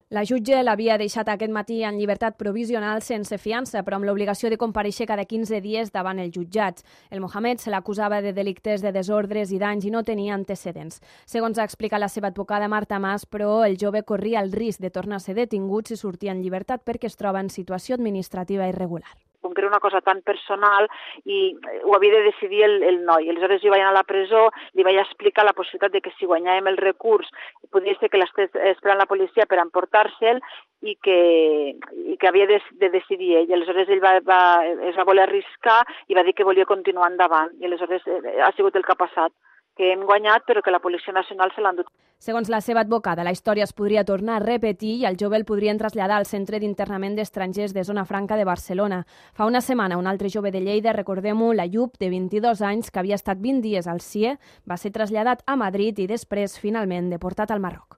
La jutge l'havia deixat aquest matí en llibertat provisional sense fiança, però amb l'obligació de comparèixer cada 15 dies davant els jutjats. El Mohamed se l'acusava de delictes de desordres i danys i no tenia antecedents. Segons ha explicat la seva advocada Marta Mas, però el jove corria el risc de tornar a ser detingut si sortia en llibertat perquè es troba en situació administrativa irregular. Com que era una cosa tan personal i ho havia de decidir el noi. Aleshores jo vaig anar a la presó, li vaig explicar la possibilitat de que si guanyàvem el recurs podia ser que l'estés esperant la policia per emportar-se'l i que havia de decidir ell. Aleshores ell es va voler arriscar i va dir que volia continuar endavant. I aleshores ha sigut el que ha passat, que hem guanyat però que la Policia Nacional se l'ha endut. Segons la seva advocada, la història es podria tornar a repetir i el jove el podrien traslladar al Centre d'Internament d'Estrangers de Zona Franca de Barcelona. Fa una setmana, un altre jove de Lleida, recordem-ho, l'Ayub, de 22 anys, que havia estat 20 dies al CIE, va ser traslladat a Madrid i després, finalment, deportat al Marroc.